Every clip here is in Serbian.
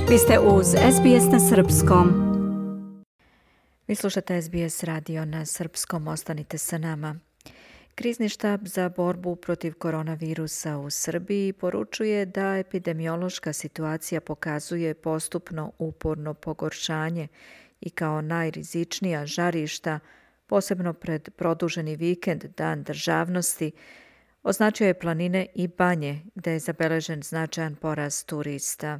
Vi ste uz SBS na Srpskom. Vi slušate SBS radio na Srpskom, ostanite sa nama. Krizni štab za borbu protiv koronavirusa u Srbiji poručuje da epidemiološka situacija pokazuje postupno uporno pogoršanje i kao najrizičnija žarišta, posebno pred produženi vikend, Dan državnosti, označio je planine i banje, gde je zabeležen značajan porast turista.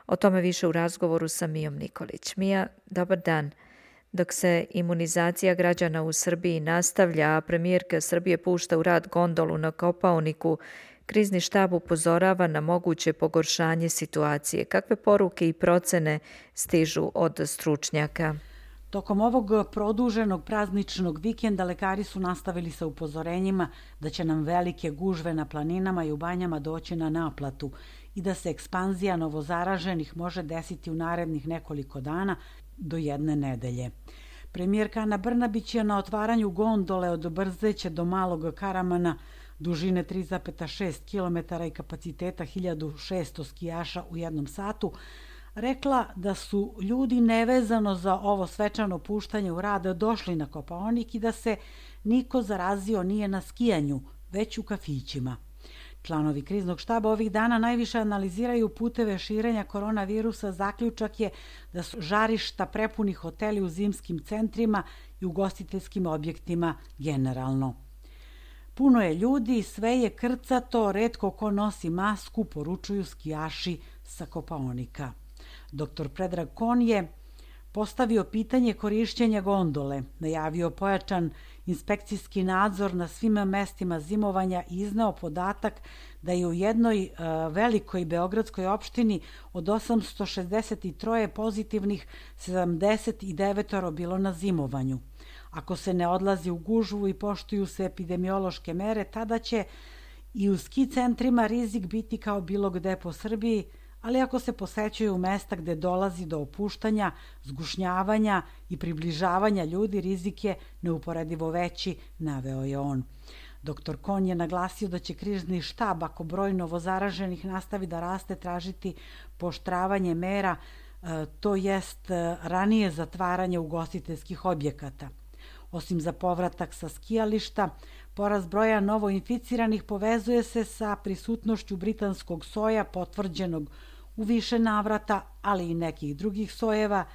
O tome više u razgovoru sa Mijom Nikolić. Mija, dobar dan. Dok se imunizacija građana u Srbiji nastavlja, a premijerka Srbije pušta u rad gondolu na Kopaoniku, krizni štab upozorava na moguće pogoršanje situacije. Kakve poruke i procene stižu od stručnjaka? Tokom ovog produženog prazničnog vikenda lekari su nastavili sa upozorenjima da će nam velike gužve na planinama i u banjama doći na naplatu i da se ekspanzija novozaraženih može desiti u narednih nekoliko dana do jedne nedelje. Premijerka Ana Brnabić je na otvaranju gondole od Brzeće do Malog Karamana dužine 3,6 km i kapaciteta 1600 skijaša u jednom satu rekla da su ljudi nevezano za ovo svečano puštanje u rad došli na Kopaonik i da se niko zarazio nije na skijanju, već u kafićima. Članovi kriznog štaba ovih dana najviše analiziraju puteve širenja koronavirusa. Zaključak je da su žarišta prepuni hoteli u zimskim centrima i ugostiteljskim objektima generalno. Puno je ljudi, sve je krcato, retko ko nosi masku, poručuju skijaši sa Kopaonika. Dr. Predrag Kon je postavio pitanje korišćenja gondole, najavio pojačan inspekcijski nadzor na svim mestima zimovanja i izneo podatak da je u jednoj velikoj beogradskoj opštini od 863 pozitivnih 79 bilo na zimovanju. Ako se ne odlazi u gužvu i poštuju se epidemiološke mere, tada će i u ski centrima rizik biti kao bilo gde po Srbiji, ali ako se posećuju mesta gde dolazi do opuštanja, zgušnjavanja i približavanja ljudi, rizik je neuporedivo veći, naveo je on. Dr. Kon je naglasio da će krizni štab, ako broj novozaraženih nastavi da raste, tražiti pooštravanje mera, to jest ranije zatvaranje ugostiteljskih objekata. Osim za povratak sa skijališta, porast broja novoinficiranih povezuje se sa prisutnošću britanskog soja potvrđenog u više navrata, ali i nekih drugih sojeva,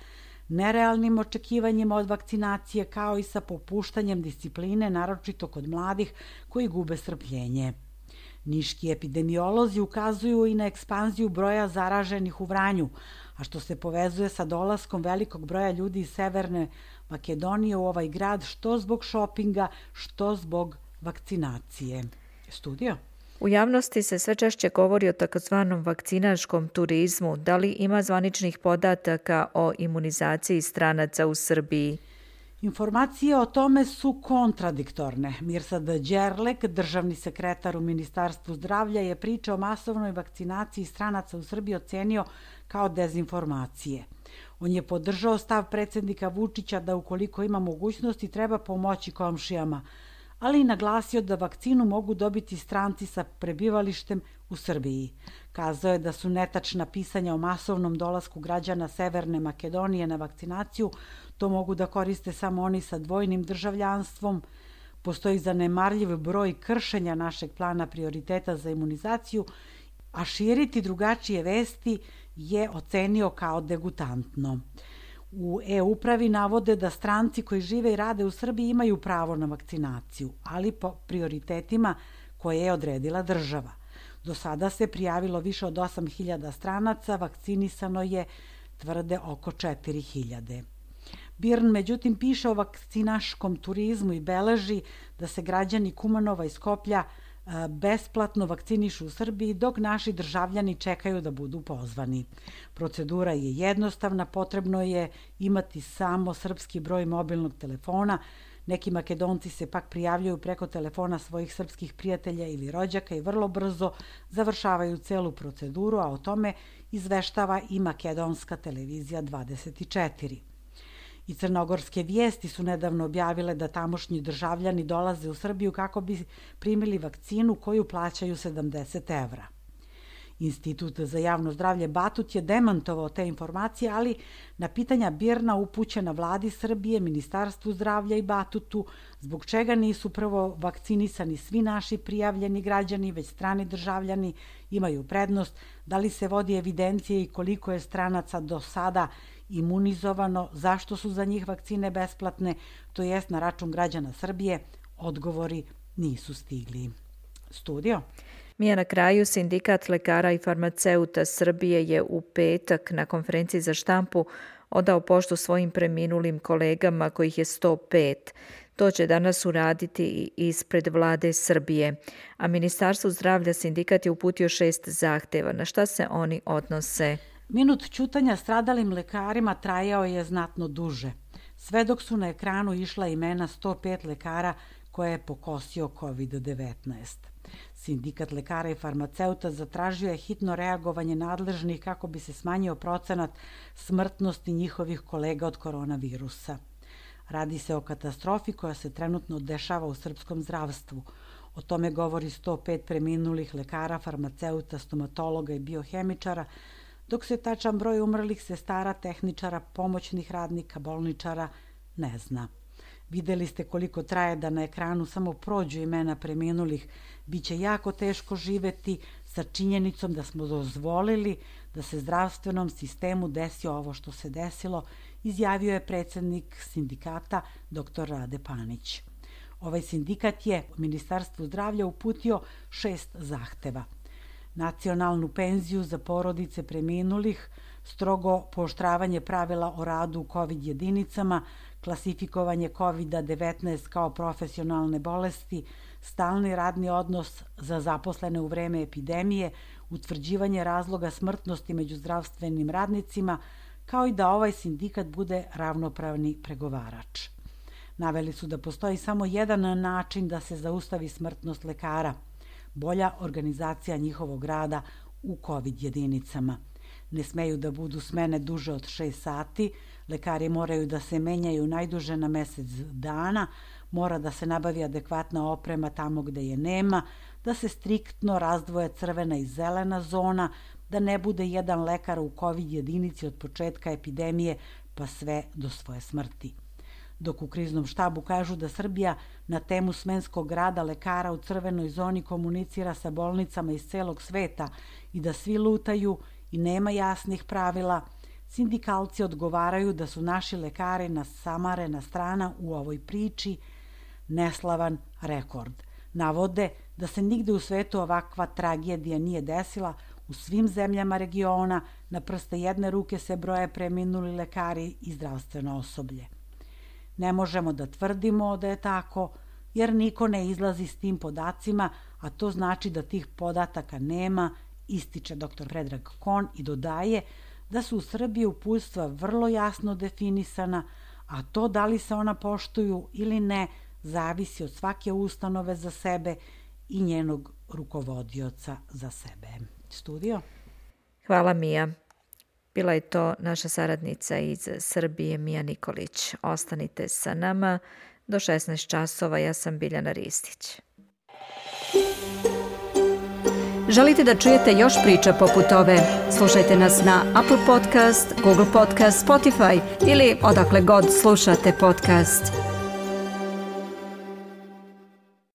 nerealnim očekivanjima od vakcinacije, kao i sa popuštanjem discipline, naročito kod mladih koji gube strpljenje. Niški epidemiolozi ukazuju i na ekspanziju broja zaraženih u Vranju, a što se povezuje sa dolaskom velikog broja ljudi iz Severne Makedonije u ovaj grad, što zbog šopinga, što zbog vakcinacije. Studio? U javnosti se sve češće govori o takozvanom vakcinaškom turizmu. Da li ima zvaničnih podataka o imunizaciji stranaca u Srbiji? Informacije o tome su kontradiktorne. Mirsad Đerlek, državni sekretar u Ministarstvu zdravlja, je priča o masovnoj vakcinaciji stranaca u Srbiji ocenio kao dezinformacije. On je podržao stav predsjednika Vučića da ukoliko ima mogućnosti treba pomoći komšijama, ali i naglasio da vakcinu mogu dobiti stranci sa prebivalištem u Srbiji. Kazao je da su netačna pisanja o masovnom dolasku građana Severne Makedonije na vakcinaciju, to mogu da koriste samo oni sa dvojnim državljanstvom. Postoji zanemarljiv broj kršenja našeg plana prioriteta za imunizaciju, a širiti drugačije vesti je ocenio kao degutantno. U e-upravi navode da stranci koji žive i rade u Srbiji imaju pravo na vakcinaciju, ali po prioritetima koje je odredila država. Do sada se prijavilo više od 8.000 stranaca, vakcinisano je, tvrde, oko 4.000. BIRN, međutim, piše o vakcinaškom turizmu i beleži da se građani Kumanova i Skoplja besplatno vakcinišu u Srbiji, dok naši državljani čekaju da budu pozvani. Procedura je jednostavna, potrebno je imati samo srpski broj mobilnog telefona. Neki Makedonci se pak prijavljuju preko telefona svojih srpskih prijatelja ili rođaka i vrlo brzo završavaju celu proceduru, a o tome izveštava i makedonska televizija 24. I crnogorske vijesti su nedavno objavile da tamošnji državljani dolaze u Srbiju kako bi primili vakcinu koju plaćaju 70 evra. Institut za javno zdravlje Batut je demantovao te informacije, ali na pitanja BIRN-a upućena Vladi Srbije, Ministarstvu zdravlja i Batutu, zbog čega nisu prvo vakcinisani svi naši prijavljeni građani, već strani državljani imaju prednost, da li se vodi evidencija i koliko je stranaca do sada imunizovano, zašto su za njih vakcine besplatne, to jest na račun građana Srbije, odgovori nisu stigli. Studio? Mija, na kraju, Sindikat lekara i farmaceuta Srbije je u petak na konferenciji za štampu odao poštu svojim preminulim kolegama, kojih je 105. To će danas uraditi i ispred Vlade Srbije. A Ministarstvu zdravlja sindikat je uputio 6 zahteva. Na šta se oni odnose? Minut ćutanja stradalim lekarima trajao je znatno duže. Sve dok su na ekranu išla imena 105 lekara koje je pokosio COVID-19. Sindikat lekara i farmaceuta zatražio je hitno reagovanje nadležnih kako bi se smanjio procenat smrtnosti njihovih kolega od koronavirusa. Radi se o katastrofi koja se trenutno dešava u srpskom zdravstvu. O tome govori 105 preminulih lekara, farmaceuta, stomatologa i biohemičara, dok se tačan broj umrlih sestara, tehničara, pomoćnih radnika, bolničara ne zna. Videli ste koliko traje da na ekranu samo prođu imena preminulih. Biće jako teško živeti sa činjenicom da smo dozvolili da se zdravstvenom sistemu desi ovo što se desilo, izjavio je predsjednik sindikata dr. Rade Panić. Ovaj sindikat je Ministarstvu zdravlja uputio 6 zahteva. Nacionalnu penziju za porodice preminulih, strogo pooštravanje pravila o radu u COVID jedinicama, klasifikovanje COVID-19 kao profesionalne bolesti, stalni radni odnos za zaposlene u vreme epidemije, utvrđivanje razloga smrtnosti među zdravstvenim radnicima, kao i da ovaj sindikat bude ravnopravni pregovarač. Naveli su da postoji samo jedan način da se zaustavi smrtnost lekara, bolja organizacija njihovog rada u COVID jedinicama. Ne smeju da budu smene duže od 6 sati, lekari moraju da se menjaju najduže na mesec dana, mora da se nabavi adekvatna oprema tamo gde je nema, da se striktno razdvoje crvena i zelena zona, da ne bude jedan lekar u COVID jedinici od početka epidemije pa sve do svoje smrti. Dok u kriznom štabu kažu da Srbija na temu smenskog rada lekara u crvenoj zoni komunicira sa bolnicama iz celog sveta i da svi lutaju i nema jasnih pravila, sindikalci odgovaraju da su naši lekari nasamarena strana u ovoj priči, neslavan rekord. Navode da se nigde u svetu ovakva tragedija nije desila, u svim zemljama regiona na prste jedne ruke se broje preminuli lekari i zdravstveno osoblje. Ne možemo da tvrdimo da je tako, jer niko ne izlazi s tim podacima, a to znači da tih podataka nema, ističe dr. Predrag Kon i dodaje da su u Srbiji uputstva vrlo jasno definisana, a to da li se ona poštuju ili ne zavisi od svake ustanove za sebe i njenog rukovodioca za sebe. Studio? Hvala, Mija. Bila je to naša saradnica iz Srbije, Mija Nikolić. Ostanite sa nama do 16 časova. Ja sam Biljana Ristić. Želite da čujete još priča poput ove? Slušajte nas na Apple Podcast, Google Podcast, Spotify ili odakle god slušate podcast.